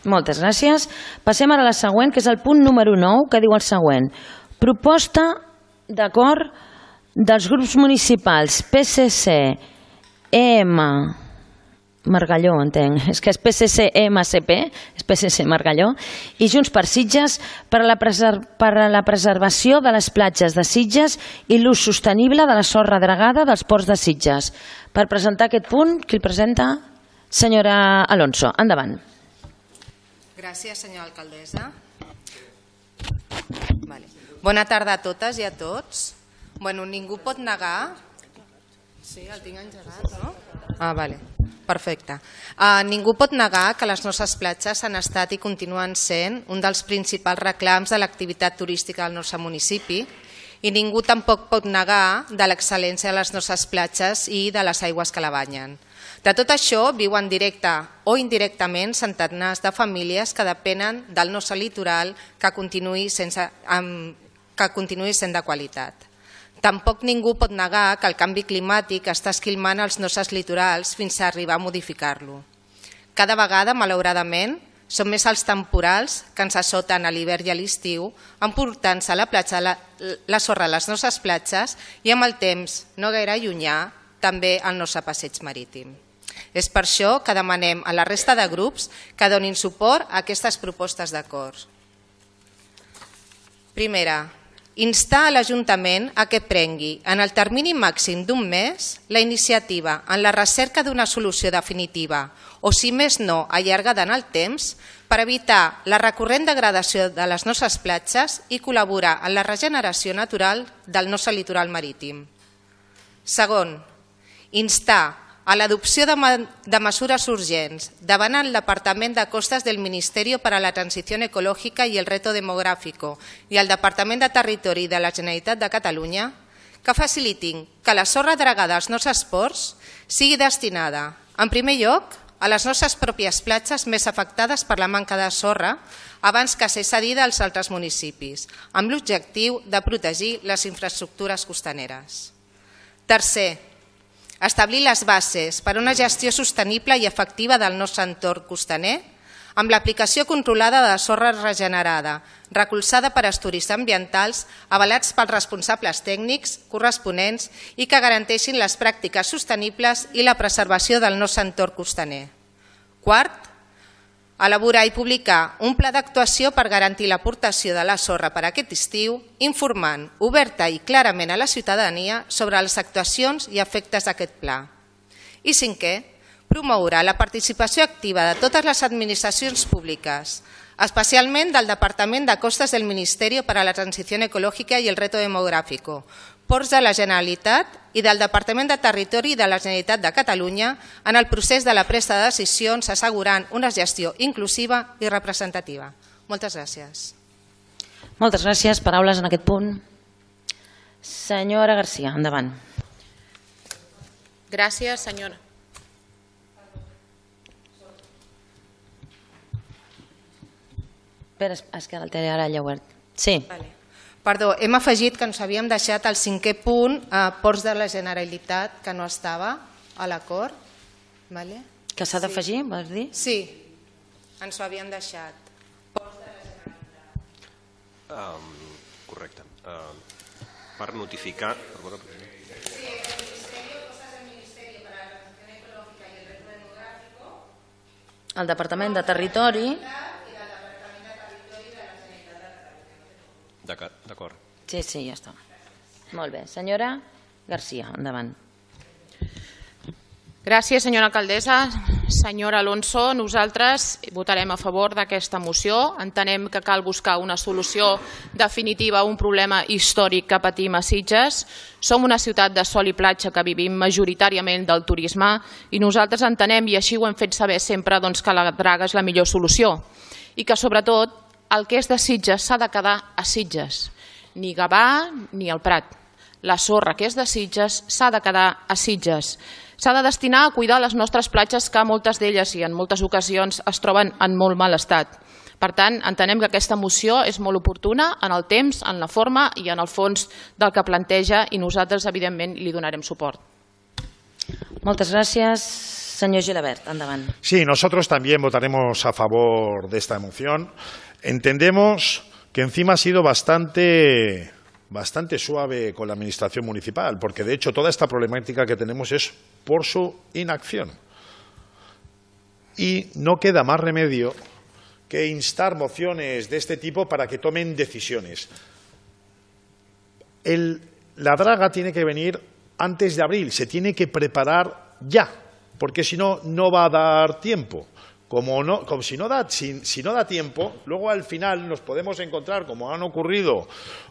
Moltes gràcies. Passem ara a la següent, que és el punt número 9, que diu el següent. Proposta d'acord dels grups municipals PSC, EM, Margalló, entenc, és que és PSC, EMCP, és PSC Margalló, i Junts per Sitges per a la preservació de les platges de Sitges i l'ús sostenible de la sorra dragada dels ports de Sitges. Per presentar aquest punt, qui el presenta? Senyora Alonso, endavant. Gràcies, senyora alcaldessa. Bona tarda a totes i a tots. Ningú pot negar... Sí, el tinc engegat, no? Vale. Perfecte. Ningú pot negar que les nostres platges han estat i continuen sent un dels principals reclams de l'activitat turística del nostre municipi i ningú tampoc pot negar de l'excel·lència de les nostres platges i de les aigües que la banyen. De tot això viuen directe o indirectament centenars de famílies que depenen del nostre litoral que continuï sent de qualitat. Tampoc ningú pot negar que el canvi climàtic està esquilmant els nostres litorals fins a arribar a modificar-lo. Cada vegada, malauradament, són més els temporals que ens assoten a l'hivern i a l'estiu, emportant-se a la platja la sorra a les nostres platges i amb el temps, no gaire llunyà, també al nostre passeig marítim. És per això que demanem a la resta de grups que donin suport a aquestes propostes d'acord. Primera, instar a l'Ajuntament a que prengui, en el termini màxim d'un mes, la iniciativa en la recerca d'una solució definitiva o, si més no, allargada en el temps, per evitar la recurrent degradació de les nostres platges i col·laborar en la regeneració natural del nostre litoral marítim. Segon, instar a l'adopció de mesures urgents davant el Departament de Costas del Ministerio para la Transición Ecológica y el Reto Demográfico i el Departament de Territori de la Generalitat de Catalunya que facilitin que la sorra dragada als nostres ports sigui destinada, en primer lloc, a les nostres pròpies platges més afectades per la manca de sorra abans que ser cedida als altres municipis, amb l'objectiu de protegir les infraestructures costaneres. Tercer, establir les bases per a una gestió sostenible i efectiva del nostre entorn costaner amb l'aplicació controlada de sorra regenerada, recolzada per estudis ambientals avalats pels responsables tècnics corresponents i que garanteixin les pràctiques sostenibles i la preservació del nostre entorn costaner. Quart, elaborar i publicar un pla d'actuació per garantir l'aportació de la sorra per aquest estiu, informant oberta i clarament a la ciutadania sobre les actuacions i efectes d'aquest pla. I cinquè, promoure la participació activa de totes les administracions públiques, especialment del Departament de Costas del Ministerio para la Transición Ecológica y el Reto Demográfico, Ports de la Generalitat i del Departament de Territori de la Generalitat de Catalunya en el procés de la presa de decisions assegurant una gestió inclusiva i representativa. Moltes gràcies. Moltes gràcies. Paraules en aquest punt. Senyora Garcia, endavant. Gràcies, senyora. Espera, és que el té ara ja obert. Sí. Perdó, hem afegit que ens havíem deixat el 5è punt, Ports de la Generalitat, que no estava a l'acord. Que s'ha d'afegir, vols dir? Sí, ens ho havíem deixat. Ports de la Generalitat. Correcte. Per notificar... El Departament de Territori... D'acord. Sí, ja està. Molt bé. Senyora Garcia, endavant. Gràcies, senyora alcaldessa. Senyora Alonso, nosaltres votarem a favor d'aquesta moció. Entenem que cal buscar una solució definitiva a un problema històric que patim a Sitges. Som una ciutat de sol i platja que vivim majoritàriament del turisme i nosaltres entenem, i així ho hem fet saber sempre, que la draga és la millor solució i que, sobretot, el que és de Sitges s'ha de quedar a Sitges, ni Gavà ni el Prat. La sorra que és de Sitges s'ha de quedar a Sitges. S'ha de destinar a cuidar les nostres platges que moltes d'elles i en moltes ocasions es troben en molt mal estat. Per tant, entenem que aquesta moció és molt oportuna en el temps, en la forma i en el fons del que planteja i nosaltres, evidentment, li donarem suport. Moltes gràcies. Senyor Gilabert, endavant. Sí, nosotros también votaremos a favor de esta moción. Entendemos que encima ha sido bastante suave con la administración municipal, porque de hecho toda esta problemática que tenemos es por su inacción. Y no queda más remedio que instar mociones de este tipo para que tomen decisiones. La draga tiene que venir antes de abril, se tiene que preparar ya, porque si no, no va a dar tiempo. Si no da tiempo, luego al final nos podemos encontrar, como han ocurrido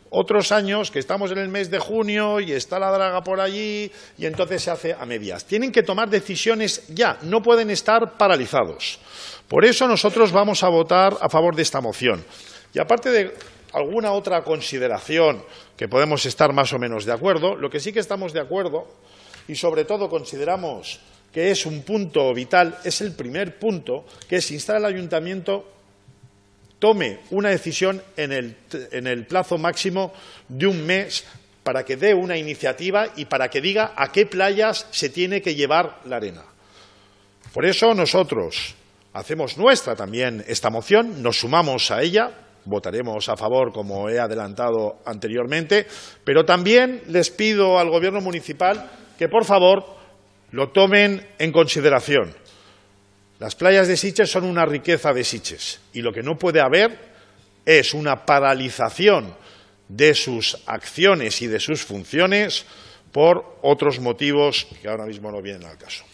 otros años, que estamos en el mes de junio y está la draga por allí y entonces se hace a medias. Tienen que tomar decisiones ya, no pueden estar paralizados. Por eso nosotros vamos a votar a favor de esta moción. Y aparte de alguna otra consideración que podemos estar más o menos de acuerdo, lo que sí que estamos de acuerdo y sobre todo consideramos que es un punto vital, es el primer punto, que es instar al ayuntamiento tome una decisión en el plazo máximo de un mes para que dé una iniciativa y para que diga a qué playas se tiene que llevar la arena. Por eso nosotros hacemos nuestra también esta moción, nos sumamos a ella, votaremos a favor como he adelantado anteriormente, pero también les pido al Gobierno municipal que por favor lo tomen en consideración. Las playas de Sitges son una riqueza de Sitges y lo que no puede haber es una paralización de sus acciones y de sus funciones por otros motivos que ahora mismo no vienen al caso.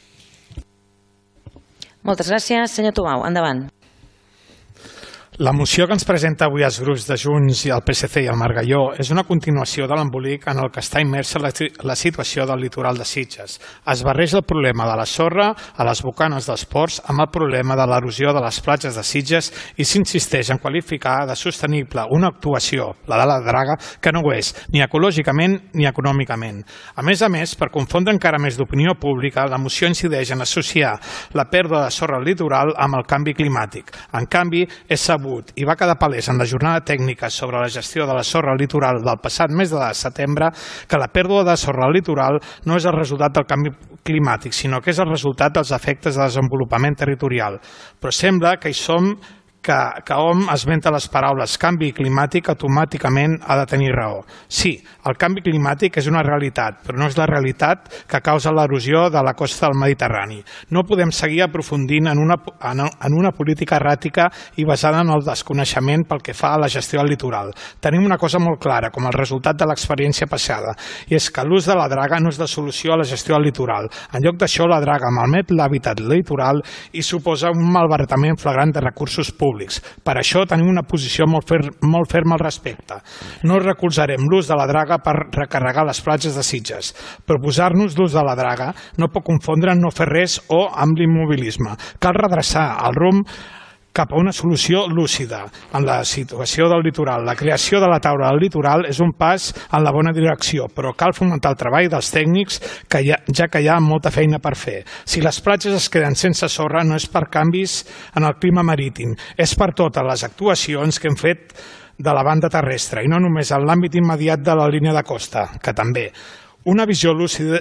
Moltes gràcies. Senyor Tubau, endavant. La moció que ens presenta avui els grups de Junts i el PSC i el Margalló és una continuació de l'embolic en el que està immersa la situació del litoral de Sitges. Es barreja el problema de la sorra a les bocanes dels ports amb el problema de l'erosió de les platges de Sitges i s'insisteix en qualificar de sostenible una actuació, la de la draga, que no ho és, ni ecològicament ni econòmicament. A més, per confondre encara més d'opinió pública, la moció incideix en associar la pèrdua de sorra al litoral amb el canvi climàtic. En canvi, és sabut i va quedar palès en la jornada tècnica sobre la gestió de la sorra al litoral del passat mes de setembre que la pèrdua de sorra al litoral no és el resultat del canvi climàtic, sinó que és el resultat dels efectes de desenvolupament territorial. Però sembla que hi som que hom esmenta les paraules canvi climàtic automàticament ha de tenir raó. Sí, el canvi climàtic és una realitat, però no és la realitat que causa l'erosió de la costa del Mediterrani. No podem seguir aprofundint en una política erràtica i basada en el desconeixement pel que fa a la gestió del litoral. Tenim una cosa molt clara, com el resultat de l'experiència passada, i és que l'ús de la draga no és la solució a la gestió del litoral. En lloc d'això, la draga malmet l'hàbitat litoral i suposa un malbaratament flagrant de recursos públics. Per això tenim una posició molt ferma al respecte. No recolzarem l'ús de la draga per recarregar les platges de Sitges. Proposar-nos l'ús de la draga no pot confondre no fer res o amb l'immobilisme. Cal redreçar el rumb cap a una solució lúcida en la situació del litoral. La creació de la taula del litoral és un pas en la bona direcció, però cal fomentar el treball dels tècnics, ja que hi ha molta feina per fer. Si les platges es queden sense sorra no és per canvis en el clima marítim, és per totes les actuacions que hem fet de la banda terrestre i no només en l'àmbit immediat de la línia de costa, que també. Una visió lúcida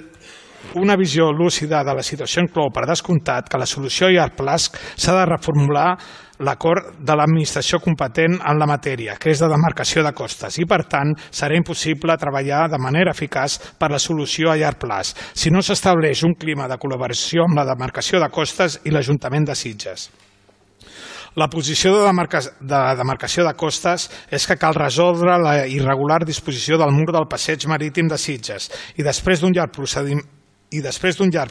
de la situació inclou, per descomptat, que la solució a llarg plaç s'ha de reformular l'acord de l'administració competent en la matèria, que és de demarcació de costes, i per tant serà impossible treballar de manera eficaç per la solució a llarg plaç si no s'estableix un clima de col·laboració amb la demarcació de costes i l'Ajuntament de Sitges. La posició de demarcació de costes és que cal resoldre la irregular disposició del mur del passeig marítim de Sitges i després d'un llarg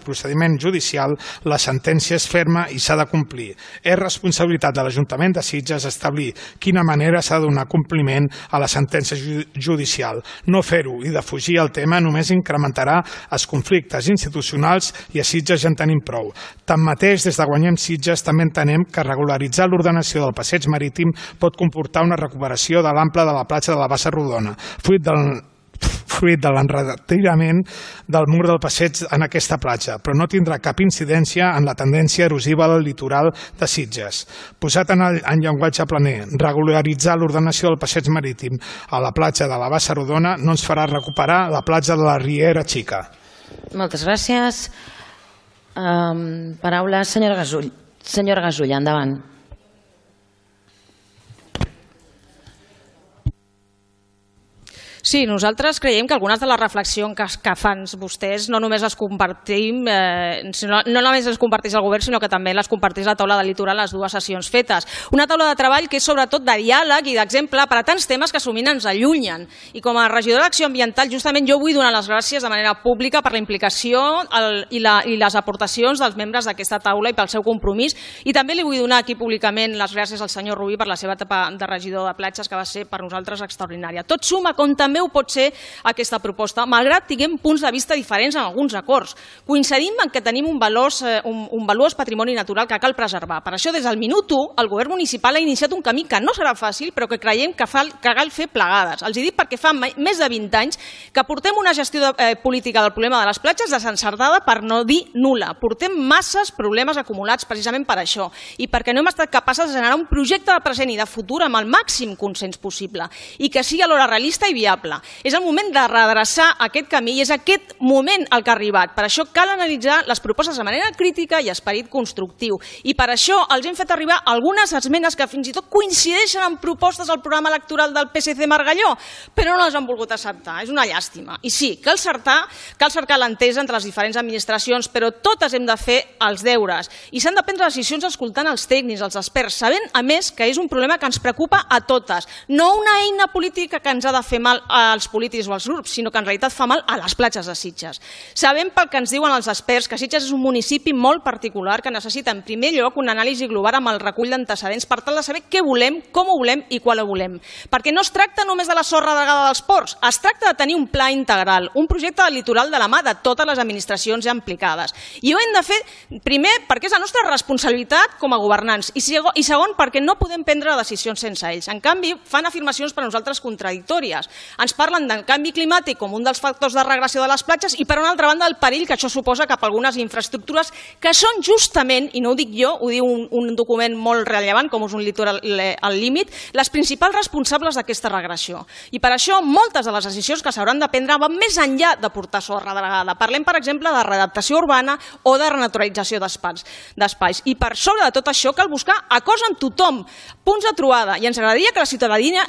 procediment judicial, la sentència és ferma i s'ha de complir. És responsabilitat de l'Ajuntament de Sitges establir quina manera s'ha de donar compliment a la sentència judicial. No fer-ho i defugir el tema només incrementarà els conflictes institucionals i a Sitges ja en tenim prou. Tanmateix, des de Guanyem Sitges també entenem que regularitzar l'ordenació del passeig marítim pot comportar una recuperació de l'ample de la platja de la Bassa Rodona, fruit de l'enretirament del mur del passeig en aquesta platja, però no tindrà cap incidència en la tendència erosiva del litoral de Sitges. Posat en llenguatge planer, regularitzar l'ordenació del passeig marítim a la platja de la Bassa Rodona no ens farà recuperar la platja de la Riera Xica. Moltes gràcies. Paraula, senyora Gasull. Senyora Gasull, endavant. Sí, nosaltres creiem que algunes de les reflexions que fan vostès no només les compartim, no només les comparteix el govern, sinó que també les comparteix la taula del litoral, les dues sessions fetes. Una taula de treball que és sobretot de diàleg i d'exemple per a tants temes que sovint ens allunyen. I com a regidora d'Acció Ambiental, justament jo vull donar les gràcies de manera pública per la implicació i les aportacions dels membres d'aquesta taula i pel seu compromís. I també li vull donar aquí públicament les gràcies al senyor Rubí per la seva etapa de regidor de platges, que va ser per nosaltres extraordinària. Tot suma, com també ho pot ser aquesta proposta, malgrat tinguem punts de vista diferents en alguns acords. Coincidim en que tenim un valuós patrimoni natural que cal preservar. Per això, des del minut 1, el govern municipal ha iniciat un camí que no serà fàcil, però que creiem que cal fer plegades. Els dic perquè fa més de 20 anys que portem una gestió política del problema de les platges desencertada, per no dir nul·la. Portem masses problemes acumulats precisament per això i perquè no hem estat capaces de generar un projecte de present i de futur amb el màxim consens possible i que sigui alhora realista i viable. És el moment de redreçar aquest camí i és aquest moment el que ha arribat. Per això cal analitzar les propostes de manera crítica i esperit constructiu. I per això els hem fet arribar algunes esmenes que fins i tot coincideixen amb propostes al programa electoral del PSC Margalló, però no les han volgut acceptar. És una llàstima. I sí, cal cercar l'entesa entre les diferents administracions, però totes hem de fer els deures. I s'han de prendre decisions escoltant els tècnics, els experts, sabent, a més, que és un problema que ens preocupa a totes. No una eina política que ens ha de fer mal als polítics o als grups, sinó que en realitat fa mal a les platges de Sitges. Sabem pel que ens diuen els experts que Sitges és un municipi molt particular que necessita en primer lloc una anàlisi global amb el recull d'antecedents per tal de saber què volem, com ho volem i quan ho volem. Perquè no es tracta només de la sorra dragada dels ports, es tracta de tenir un pla integral, un projecte del litoral de la mà de totes les administracions ja implicades. I ho hem de fer, primer, perquè és la nostra responsabilitat com a governants i segon, perquè no podem prendre decisions sense ells. En canvi, fan afirmacions per a nosaltres contradictòries. Ens parlen del canvi climàtic com un dels factors de regressió de les platges i, per una altra banda, el perill que això suposa cap a algunes infraestructures que són justament, i no ho dic jo, ho diu un document molt rellevant, com és un litoral al límit, les principals responsables d'aquesta regressió. I per això moltes de les decisions que s'hauran de prendre van més enllà de portar sorra dragada. Parlem, per exemple, de readaptació urbana o de renaturalització d'espais. I per sobre de tot això cal buscar acords amb tothom, punts de trobada, i ens agradaria que la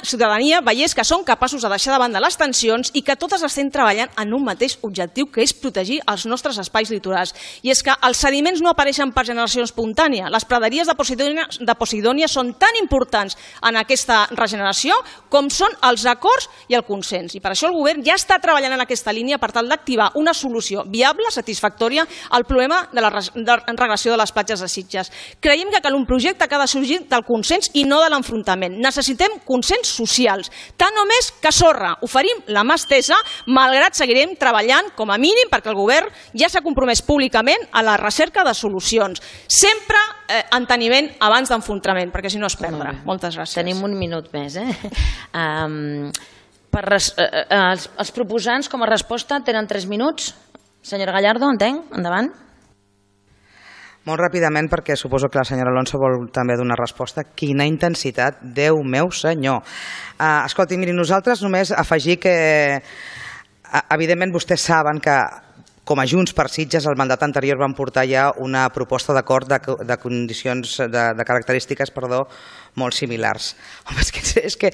ciutadania veiés que som capaços de deixar de banda les tensions i que totes estem treballant en un mateix objectiu, que és protegir els nostres espais litorals. I és que els sediments no apareixen per generació espontània. Les praderies de Posidònia són tan importants en aquesta regeneració com són els acords i el consens. I per això el govern ja està treballant en aquesta línia per tal d'activar una solució viable, satisfactòria, al problema de la regressió de les platges de Sitges. Creiem que cal un projecte que ha de sorgir del consens i no de l'enfrontament. Necessitem consens socials, tant o més que sorra. Oferim la mà estesa, malgrat seguirem treballant, com a mínim, perquè el govern ja s'ha compromès públicament a la recerca de solucions. Sempre enteniment abans d'enfrontament, perquè si no es perdrà. Moltes gràcies. Tenim un minut més. Els proposants, com a resposta, tenen 3 minuts. Senyora Gallardo, entenc? Endavant. Molt ràpidament, perquè suposo que la senyora Alonso vol també donar resposta. Quina intensitat, Déu meu senyor. Escolti, miri, nosaltres només afegir que, evidentment, vostès saben que com a Junts per Sitges, el mandat anterior van portar ja una proposta d'acord de condicions, de característiques, molt similars. Home, és que,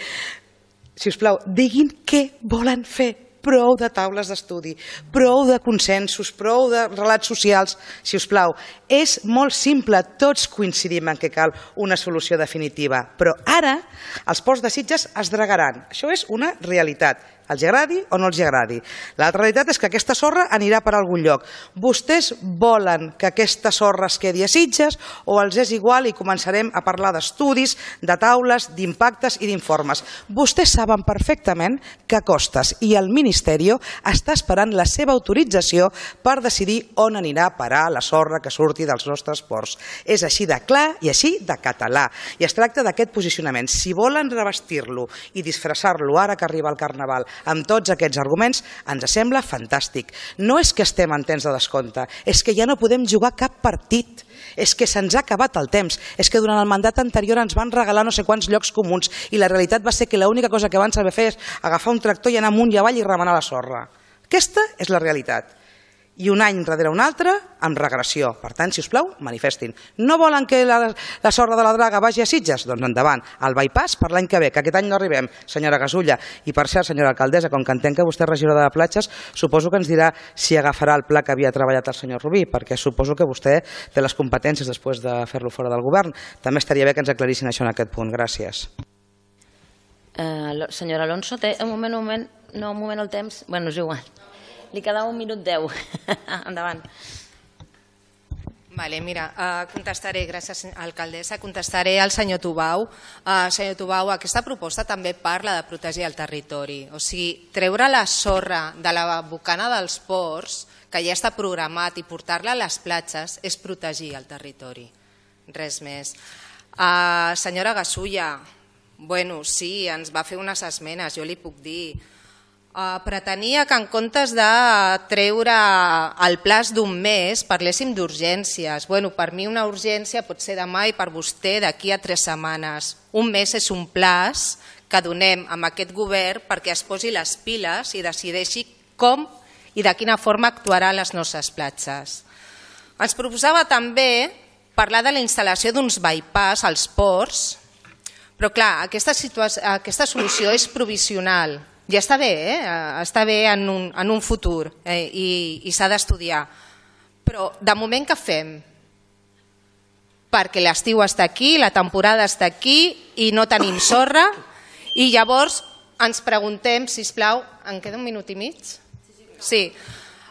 si us plau, diguin què volen fer. Prou de taules d'estudi, prou de consensos, prou de relats socials, si us plau. És molt simple, tots coincidim en que cal una solució definitiva, però ara els ports de Sitges es dragaran. Això és una realitat. Els agradi o no els agradi. L'altra realitat és que aquesta sorra anirà per algun lloc. Vostès volen que aquesta sorra es quedi a Sitges o els és igual i començarem a parlar d'estudis, de taules, d'impactes i d'informes. Vostès saben perfectament que Costes i el Ministeri està esperant la seva autorització per decidir on anirà a parar la sorra que surti dels nostres ports. És així de clar i així de català. I es tracta d'aquest posicionament. Si volen revestir-lo i disfressar-lo ara que arriba el Carnaval amb tots aquests arguments, ens sembla fantàstic. No és que estem en temps de descompte, és que ja no podem jugar cap partit. És que se'ns ha acabat el temps. És que durant el mandat anterior ens van regalar no sé quants llocs comuns i la realitat va ser que l'única cosa que van saber fer és agafar un tractor i anar amunt i avall i remenar la sorra. Aquesta és la realitat. i un any darrere un altre amb regressió. Per tant, si us plau, manifestin. No volen que la sorra de la Draga vagi a Sitges? Doncs endavant. El bypass per l'any que ve, que aquest any no arribem, senyora Gasulla. I per cert, senyora alcaldessa, com que entenc que vostè és regidora de platges, suposo que ens dirà si agafarà el pla que havia treballat el senyor Rubí, perquè suposo que vostè té les competències després de fer-lo fora del govern. També estaria bé que ens aclarissin això en aquest punt. Gràcies. Senyora Alonso, té un moment el temps. Bueno, és igual. Li quedava 1 minut 10. Endavant. Vale, mira, contestaré, gràcies alcaldessa, contestaré al senyor Tubau. Senyor Tubau, aquesta proposta també parla de protegir el territori. O sigui, treure la sorra de la bocana dels ports, que ja està programat, i portar-la a les platges és protegir el territori. Res més. Senyora Gasulla, bueno, sí, ens va fer unes esmenes, jo li puc dir. Pretenia que en comptes de treure el plaç d'un mes parléssim d'urgències. Bueno, per mi una urgència pot ser demà i per vostè d'aquí a 3 setmanes. Un mes és un plaç que donem a aquest govern perquè es posi les piles i decideixi com i de quina forma actuarà a les nostres platges. Ens proposava també parlar de la instal·lació d'uns bypass als ports, però clar, aquesta solució és provisional. Ja està bé, està bé en un futur i s'ha d'estudiar. Però de moment què fem? Perquè l'estiu està aquí, la temporada està aquí i no tenim sorra i llavors ens preguntem, sisplau, em queda 1 minut i mig? Sí.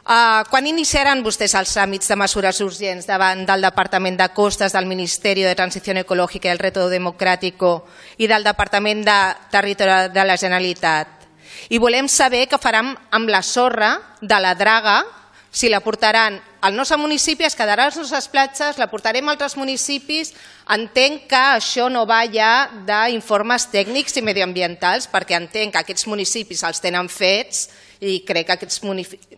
Quan iniciaran vostès els tràmits de mesures urgents davant del Departament de Costes, del Ministeri de Transició Ecològica i el Reto Democràtico i del Departament de Territori de la Generalitat? I volem saber què faran amb la sorra de la Draga, si la portaran al nostre municipi, es quedarà a les nostres platges, la portarem a altres municipis. Entenc que això no va ja d'informes tècnics i mediambientals, perquè entenc que aquests municipis els tenen fets i crec que aquests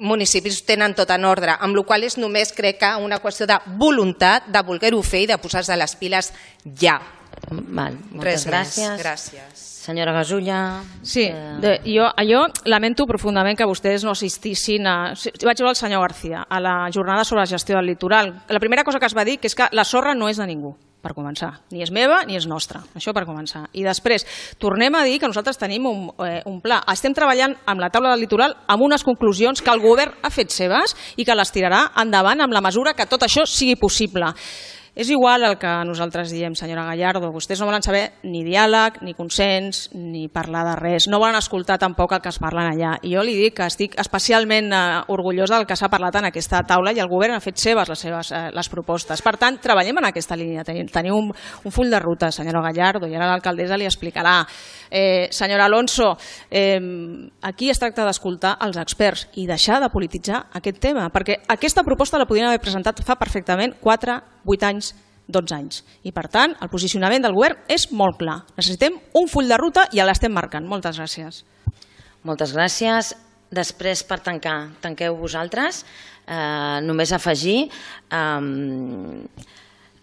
municipis tenen tot en ordre, amb la qual cosa és només, crec que, una qüestió de voluntat de voler-ho fer i de posar-se les piles ja. Moltes gràcies. Gràcies. Senyora Gasulla... Sí, jo lamento profundament que vostès no assistissin a... Vaig veure el senyor García a la jornada sobre la gestió del litoral. La primera cosa que es va dir és que la sorra no és de ningú, per començar. Ni és meva ni és nostra, això per començar. I després, tornem a dir que nosaltres tenim un pla. Estem treballant amb la taula del litoral amb unes conclusions que el govern ha fet seves i que les tirarà endavant amb la mesura que tot això sigui possible. És igual el que nosaltres diem, senyora Gallardo, vostès no volen saber ni diàleg, ni consens, ni parlar de res, no volen escoltar tampoc el que es parlen allà. I jo li dic que estic especialment orgullosa del que s'ha parlat en aquesta taula i el govern ha fet seves les propostes. Per tant, treballem en aquesta línia, tenim un full de ruta, senyora Gallardo, i ara l'alcaldessa li explicarà. Senyora Alonso, aquí es tracta d'escoltar els experts i deixar de polititzar aquest tema, perquè aquesta proposta la podien haver presentat fa perfectament 4, 8 anys, 12 anys. I per tant, el posicionament del govern és molt clar. Necessitem un full de ruta i l'estem marcant. Moltes gràcies. Moltes gràcies. Després, per tancar, tanqueu vosaltres. Només afegir...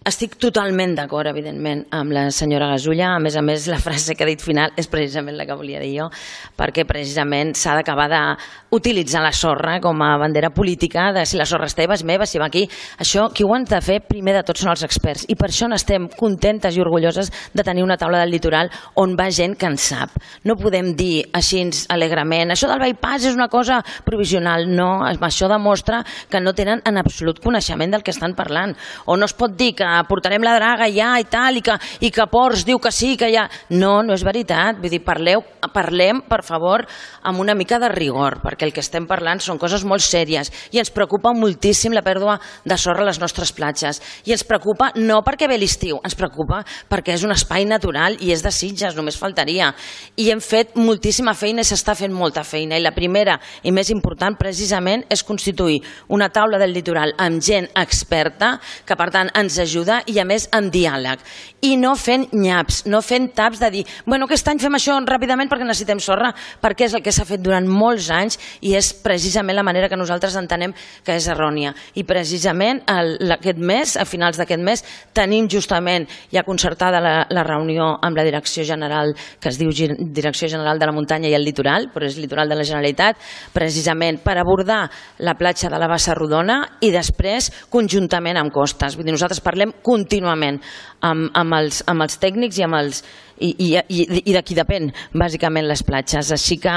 Estic totalment d'acord, evidentment, amb la senyora Gasulla. A més, la frase que ha dit final és precisament la que volia dir jo, perquè precisament s'ha d'acabar d'utilitzar la sorra com a bandera política de si la sorra és teva, és meva, si va aquí. Això, qui ho han de fer primer de tot són els experts. I per això n'estem contentes i orgulloses de tenir una taula del litoral on va gent que en sap. No podem dir així alegrement, això del bypass és una cosa provisional. No, això demostra que no tenen en absolut coneixement del que estan parlant. O no es pot dir que portarem la Draga ja i tal, i que Ports diu que sí, que ja... No, no és veritat. Vull dir, parlem, per favor, amb una mica de rigor, perquè el que estem parlant són coses molt sèries i ens preocupa moltíssim la pèrdua de sorra a les nostres platges. I ens preocupa no perquè ve l'estiu, ens preocupa perquè és un espai natural i és de Sitges, només faltaria. I hem fet moltíssima feina i s'està fent molta feina. I la primera i més important, precisament, és constituir una taula del litoral amb gent experta que, per tant, ens ajudi ajuda i a més amb diàleg i no fent nyaps, no fent taps de dir, bueno, aquest any fem això ràpidament perquè necessitem sorra, perquè és el que s'ha fet durant molts anys i és precisament la manera que nosaltres entenem que és errònia. I precisament aquest mes, a finals d'aquest mes, tenim justament ja concertada la reunió amb la Direcció General, que es diu Direcció General de la Muntanya i el Litoral, però és Litoral de la Generalitat, precisament per abordar la platja de la Bassa Rodona i després conjuntament amb Costes. Vull dir, nosaltres parlem contínuament amb els tècnics i de qui depèn bàsicament les platges, així que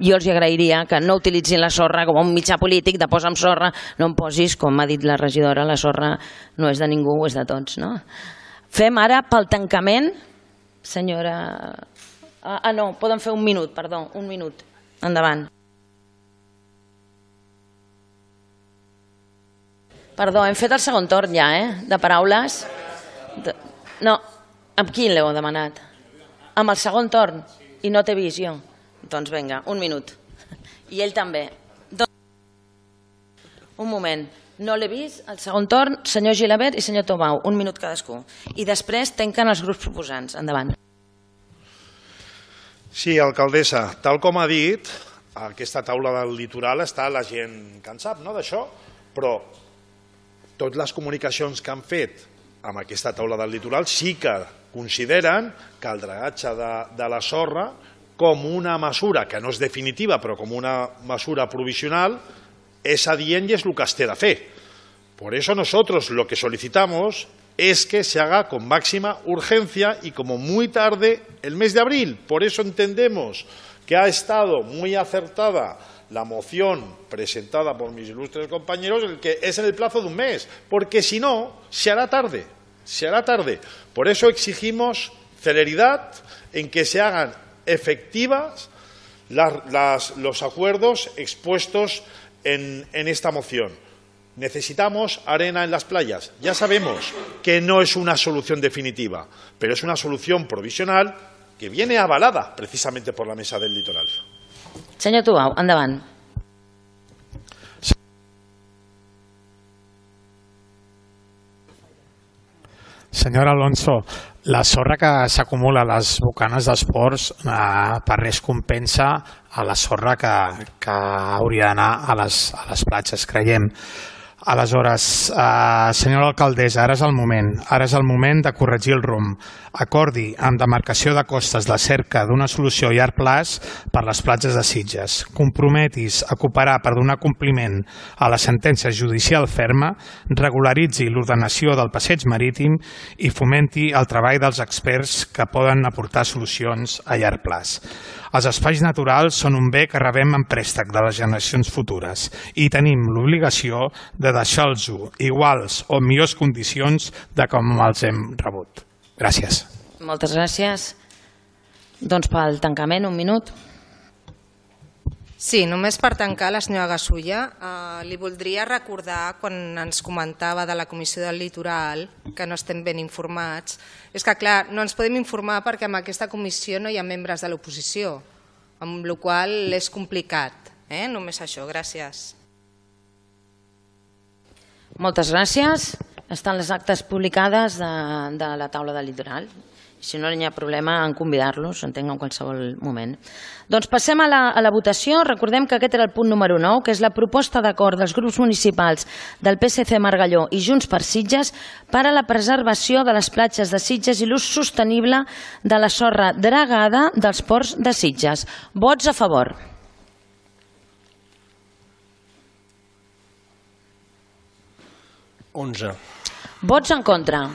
jo els agrairia que no utilitzin la sorra com un mitjà polític de posar amb sorra, no em posis, com ha dit la regidora, la sorra no és de ningú, és de tots, no? Fem ara pel tancament, senyora... no, poden fer un minut, perdó, un minut, endavant. Perdó, hem fet el segon torn ja, de paraules. No, amb qui l'heu demanat? Amb el segon torn? I no t'he vist jo? Doncs vinga, un minut. I ell també. Un moment, no l'he vist, el segon torn, senyor Gilabert i senyor Tobau, un minut cadascú. I després tanquen els grups proposants. Endavant. Sí, alcaldessa, tal com ha dit, a aquesta taula del litoral està la gent que en sap, no, d'això, però totes les comunicacions que han fet amb aquesta taula del litoral sí que consideren que el dragatge de la sorra, com una mesura que no és definitiva, però com una mesura provisional, es adient y es lo que has de hacer. Por eso nosotros lo que solicitamos es que se haga con máxima urgencia y como muy tarde el mes de abril. Por eso entendemos que ha estado muy acertada la moción presentada por mis ilustres compañeros, el que es en el plazo de un mes, porque si no, se hará tarde, se hará tarde. Por eso exigimos celeridad en que se hagan efectivas los acuerdos expuestos en esta moción. Necesitamos arena en las playas. Ya sabemos que no es una solución definitiva, pero es una solución provisional que viene avalada precisamente por la Mesa del Litoral. Senyor Tobau, endavant. Senyor Alonso, la sorra que s'acumula a les bocanes dels ports per res compensa a la sorra que hauria d'anar a les platges, creiem. Aleshores, senyora alcaldessa, ara és el moment de corregir el rumb. Acordi amb demarcació de costes la cerca d'una solució a llarg plaç per les platges de Sitges. Comprometis a cooperar per donar compliment a la sentència judicial ferma, regularitzi l'ordenació del passeig marítim i fomenti el treball dels experts que poden aportar solucions a llarg plaç. Els espais naturals són un bé que rebem en préstec de les generacions futures i tenim l'obligació de deixar-los iguals o millors condicions de com els hem rebut. Gràcies. Moltes gràcies. Doncs pel tancament, un minut. Sí, només per tancar, la senyora Gasulla, li voldria recordar quan ens comentava de la Comissió del Litoral que no estem ben informats. És que, clar, no ens podem informar perquè en aquesta comissió no hi ha membres de l'oposició, amb la qual cosa és complicat. Només això, gràcies. Moltes gràcies. Estan les actes publicades de la taula del litoral. Si no hi ha problema en convidar-los, entenc en qualsevol moment. Doncs passem a la votació. Recordem que aquest era el punt número 9, que és la proposta d'acord dels grups municipals del PSC Margalló i Junts per Sitges per a la preservació de les platges de Sitges i l'ús sostenible de la sorra dragada dels ports de Sitges. Vots a favor. Vots en contra.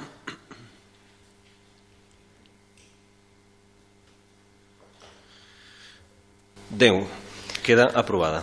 Queda aprovada.